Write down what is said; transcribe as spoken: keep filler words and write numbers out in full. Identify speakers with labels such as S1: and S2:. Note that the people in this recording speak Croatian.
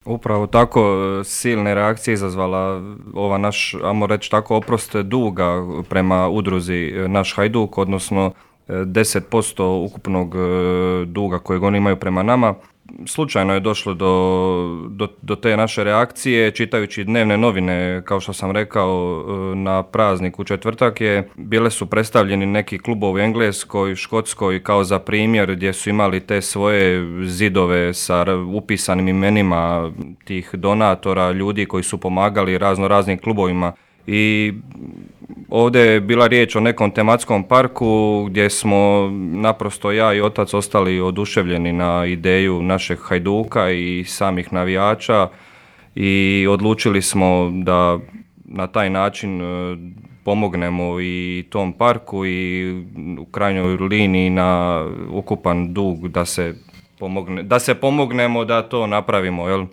S1: Upravo tako silne reakcije izazvala ova naš, ajmo reći tako, oprost duga prema udruzi Naš Hajduk, odnosno deset posto ukupnog duga kojeg oni imaju prema nama. Slučajno je došlo do, do, do te naše reakcije, čitajući dnevne novine, kao što sam rekao, na praznik u četvrtak je, bile su predstavljeni neki klubovi u Engleskoj, Škotskoj, kao za primjer, gdje su imali te svoje zidove sa upisanim imenima tih donatora, ljudi koji su pomagali razno raznim klubovima. I ovdje je bila riječ o nekom tematskom parku gdje smo naprosto ja i otac ostali oduševljeni na ideju našeg Hajduka i samih navijača i odlučili smo da na taj način pomognemo i tom parku i u krajnjoj liniji na ukupan dug da se pomogne, da se pomognemo da to napravimo, jel?